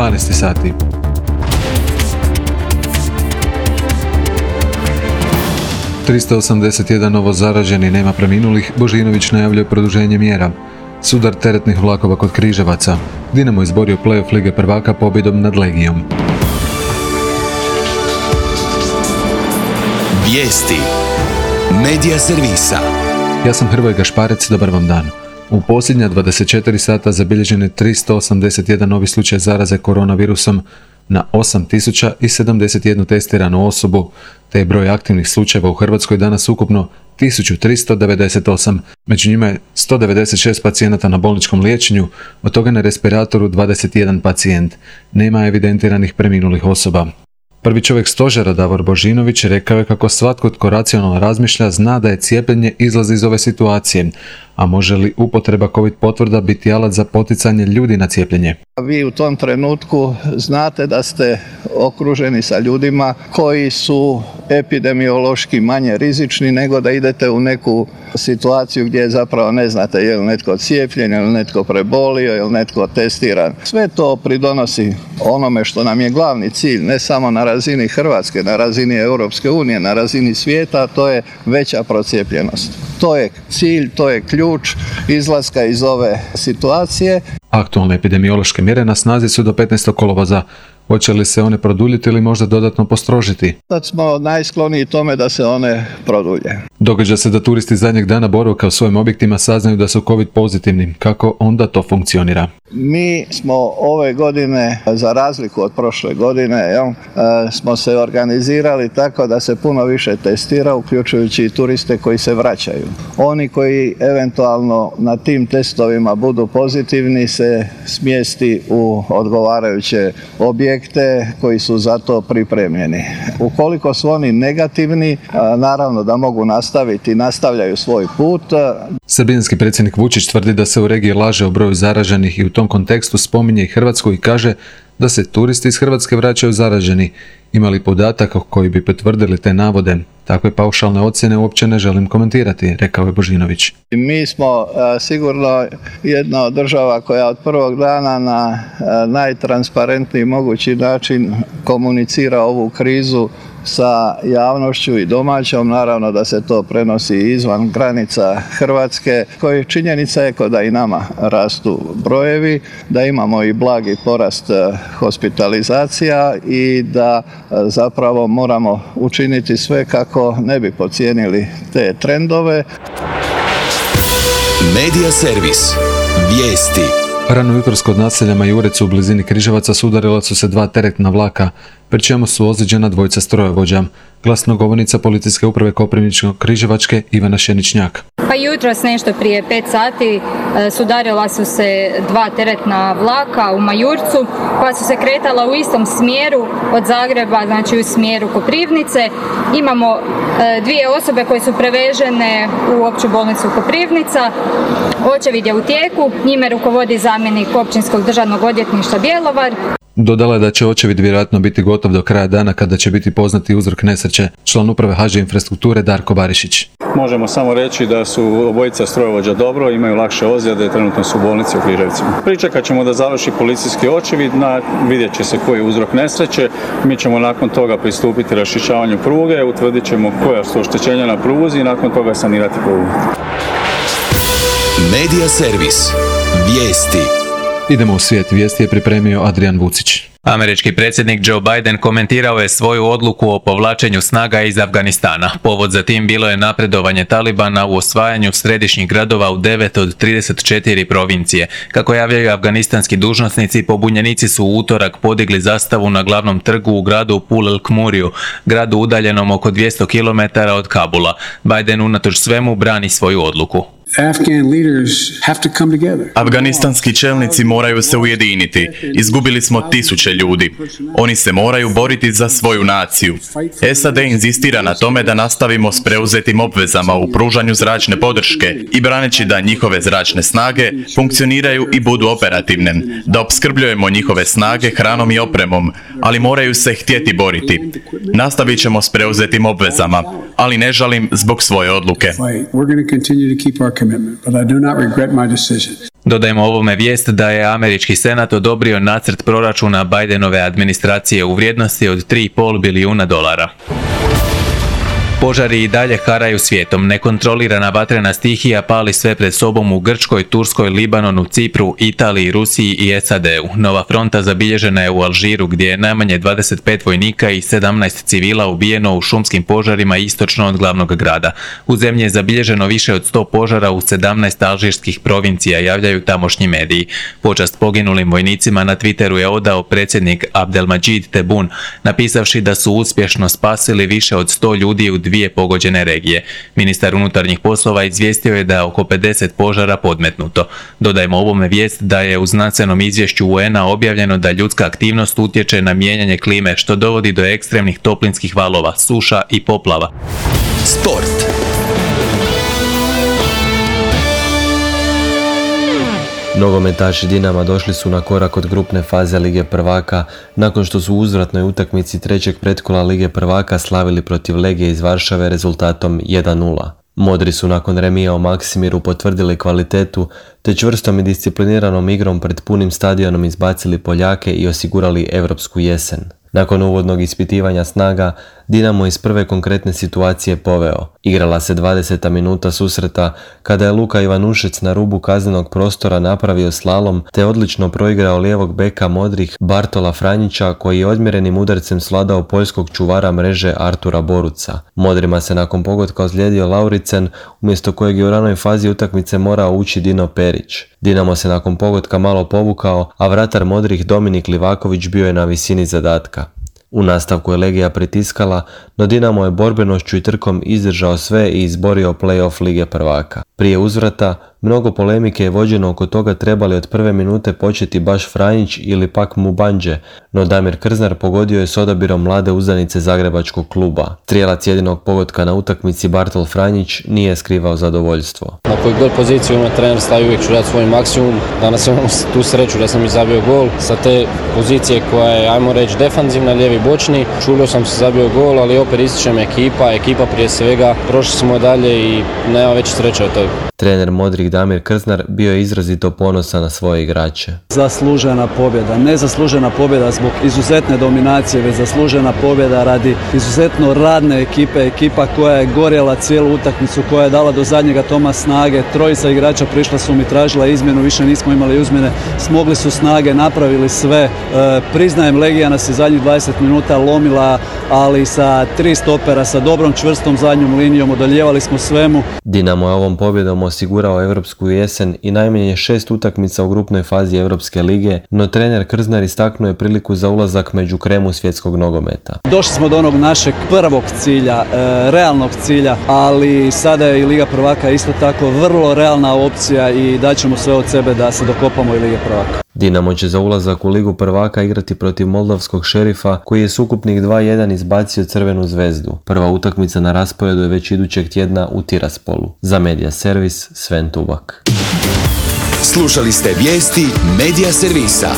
12 sati. ...381 novo zaraženi, nema preminulih, Božinović najavljuje produženje mjera. Sudar teretnih vlakova kod Križevaca. Dinamo izborio play-off Lige prvaka pobjedom nad Legijom. Vijesti. Medija servisa. Ja sam Hrvoje Gašparec, dobar vam dan. U posljednja 24 sata zabilježen je 381 novi slučaj zaraze koronavirusom na 8071 testiranu osobu, te je broj aktivnih slučajeva u Hrvatskoj danas ukupno 1398. Među njima je 196 pacijenata na bolničkom liječenju, od toga na respiratoru 21 pacijent. Nema evidentiranih preminulih osoba. Prvi čovjek stožera Davor Božinović rekao je kako svatko tko racionalno razmišlja zna da je cijepljenje izlaz iz ove situacije, a može li upotreba COVID potvrda biti alat za poticanje ljudi na cijepljenje? Vi u tom trenutku znate da ste okruženi sa ljudima koji su epidemiološki manje rizični nego da idete u neku situaciju gdje zapravo ne znate je li netko cijepljen, je li netko prebolio, je li netko testiran. Sve to pridonosi onome što nam je glavni cilj, ne samo na razini Hrvatske, na razini Europske unije, na razini svijeta, to je veća procijepljenost. To je cilj, to je ključ izlaska iz ove situacije. Aktualne epidemiološke mjere na snazi su do 15. kolovoza. Hoće li se one produljiti ili možda dodatno postrožiti? Sad smo najskloniji tome da se one produlje. Događa se da turisti zadnjeg dana boravka u svojim objektima saznaju da su COVID pozitivni. Kako onda to funkcionira? Mi smo ove godine, za razliku od prošle godine, smo se organizirali tako da se puno više testira, uključujući i turiste koji se vraćaju. Oni koji eventualno na tim testovima budu pozitivni se smjesti u odgovarajuće objekte koji su za to pripremljeni. Ukoliko su oni negativni, naravno da mogu nastaviti i nastavljaju svoj put. Srbijanski predsjednik Vučić tvrdi da se u regiji laže o broju zaraženih i u tom kontekstu spominje i Hrvatsku i kaže da se turisti iz Hrvatske vraćaju zaraženi. Ima li podataka koji bi potvrdili te navode? Takve paušalne ocjene uopće ne želim komentirati, rekao je Božinović. Mi smo sigurno jedna od država koja od prvog dana na najtransparentniji mogući način komunicira ovu krizu sa javnošću i domaćom, naravno da se to prenosi izvan granica Hrvatske, koji činjenica je da i nama rastu brojevi, da imamo i blagi porast hospitalizacija i da zapravo moramo učiniti sve kako ne bi podcijenili te trendove. Medija servis. Vijesti. Rano jutros kod naselja Majurec u blizini Križevaca sudarila su se dva teretna vlaka, pri čemu su ozlijeđena dvojica strojovođa. Glasnogovornica Policijske uprave Koprivničko-Križevačke Ivana Šeničnjak. Pa jutros nešto prije 5 sati sudarila su se dva teretna vlaka u Majurcu koja su se kretala u istom smjeru od Zagreba, znači u smjeru Koprivnice. Imamo dvije osobe koje su prevežene u opću bolnicu Koprivnica. Očevid je u tijeku, njime rukovodi zamjenik Općinskog državnog odvjetništva Bjelovar. Dodala je da će očevid vjerojatno biti gotov do kraja dana kada će biti poznati uzrok nesreće, član uprave HŽ Infrastrukture Darko Barišić. Možemo samo reći da su obojica strojovođa dobro, imaju lakše ozljede, trenutno su u bolnici u Križevcima. Pričekat ćemo da završi policijski očevid, vidjet će se koji je uzrok nesreće. Mi ćemo nakon toga pristupiti raščišćavanju pruge, utvrdit ćemo koja su oštećenja na pruzi i nakon toga sanirati prugu. Medija servis. Vijesti. Idemo u svijet. Vijesti je pripremio Adrian Vucić. Američki predsjednik Joe Biden komentirao je svoju odluku o povlačenju snaga iz Afganistana. Povod za tim bilo je napredovanje Talibana u osvajanju središnjih gradova u 9 od 34 provincije. Kako javljaju afganistanski dužnosnici, pobunjenici su u utorak podigli zastavu na glavnom trgu u gradu Pul El Khmuriju, gradu udaljenom oko 200 km od Kabula. Biden unatoč svemu brani svoju odluku. Afganistanski čelnici moraju se ujediniti. Izgubili smo tisuće ljudi. Oni se moraju boriti za svoju naciju. SAD inzistira na tome da nastavimo s preuzetim obvezama u pružanju zračne podrške i braneći da njihove zračne snage funkcioniraju i budu operativne, da opskrbljujemo njihove snage hranom i opremom, ali moraju se htjeti boriti. Nastavit ćemo s preuzetim obvezama, ali ne žalim zbog svoje odluke. Dodajmo ovome vijest da je američki senat odobrio nacrt proračuna Bidenove administracije u vrijednosti od $3,5 bilijuna. Požari i dalje haraju svijetom. Nekontrolirana vatrena stihija pali sve pred sobom u Grčkoj, Turskoj, Libanonu, Cipru, Italiji, Rusiji i SAD-u. Nova fronta zabilježena je u Alžiru gdje je najmanje 25 vojnika i 17 civila ubijeno u šumskim požarima istočno od glavnog grada. U zemlji je zabilježeno više od 100 požara u 17 alžirskih provincija, javljaju tamošnji mediji. Počast poginulim vojnicima na Twitteru je odao predsjednik Abdelmadžid Tebboune, napisavši da su uspješno spasili više od 100 ljudi u 2 pogođene regije. Ministar unutarnjih poslova izvijestio je da je oko 50 požara podmetnuto. Dodajmo ovome vijest da je u znanstvenom izvješću UN-a objavljeno da ljudska aktivnost utječe na mijenjanje klime, što dovodi do ekstremnih toplinskih valova, suša i poplava. Sport. Nogometaši Dinama došli su na korak od grupne faze Lige prvaka nakon što su u uzvratnoj utakmici trećeg pretkola Lige prvaka slavili protiv Legije iz Varšave rezultatom 1:0. Modri su nakon remija u Maksimiru potvrdili kvalitetu te čvrstom i discipliniranom igrom pred punim stadionom izbacili Poljake i osigurali europsku jesen. Nakon uvodnog ispitivanja snaga, Dinamo iz prve konkretne situacije poveo. Igrala se 20. minuta susreta kada je Luka Ivanušec na rubu kaznenog prostora napravio slalom te odlično proigrao lijevog beka Modrih Bartola Franjića koji je odmjerenim udarcem svladao poljskog čuvara mreže Artura Boruca. Modrima se nakon pogotka ozlijedio Lauricen, umjesto kojeg je u ranoj fazi utakmice morao ući Dino Perić. Dinamo se nakon pogotka malo povukao, a vratar Modrih Dominik Livaković bio je na visini zadatka. U nastavku je Legija pritiskala, no Dinamo je borbenošću i trkom izdržao sve i izborio play-off Lige prvaka. Prije uzvrata, mnogo polemike je vođeno oko toga trebali od prve minute početi baš Franjić ili pak Mubandže, no Damir Krznar pogodio je s odabirom mlade uzdanice zagrebačkog kluba. Strijelac jedinog pogotka na utakmici Bartol Franjić nije skrivao zadovoljstvo. Na koju god poziciju ima trener stavi, uvijek ću dati svoj maksimum. Danas imam tu sreću da sam i zabio gol. Sa te pozicije koja je, ajmo reći, defanzivna, lijevi bočni, čulio sam se zabio gol, ali opet ističem ekipa prije svega. Prošli smo dalje i nema veće sreće od toga. Trener Modrih Damir Krznar bio je izrazito ponosan na svoje igrače. Zaslužena pobjeda, ne zaslužena pobjeda zbog izuzetne dominacije, već zaslužena pobjeda radi izuzetno radne ekipa koja je gorjela cijelu utakmicu, koja je dala do zadnjega toma snage. Trojica igrača prišla su mi, tražila izmjenu, više nismo imali izmjene, smogli su snage, napravili sve. Priznajem, Legija nas je zadnjih 20 minuta lomila, ali sa 3 stopera, sa dobrom čvrstom zadnjom linijom, odoljevali smo svemu. Dinamo je ovom pobjedom osigurao europsku jesen i najmanje 6 utakmica u grupnoj fazi Europske lige, no trener Krznar istaknuo je priliku za ulazak među kremu svjetskog nogometa. Došli smo do onog našeg prvog cilja, realnog cilja, ali sada je i Liga prvaka isto tako vrlo realna opcija i daćemo sve od sebe da se dokopamo i Lige prvaka. Dinamo će za ulazak u Ligu prvaka igrati protiv moldavskog Šerifa koji je s ukupnih 2:1 izbacio Crvenu zvezdu. Prva utakmica na rasporedu je već idućeg tjedna u Tiraspolu. Za Media Servis, Sven Tubak. Slušali ste vijesti Media Servisa.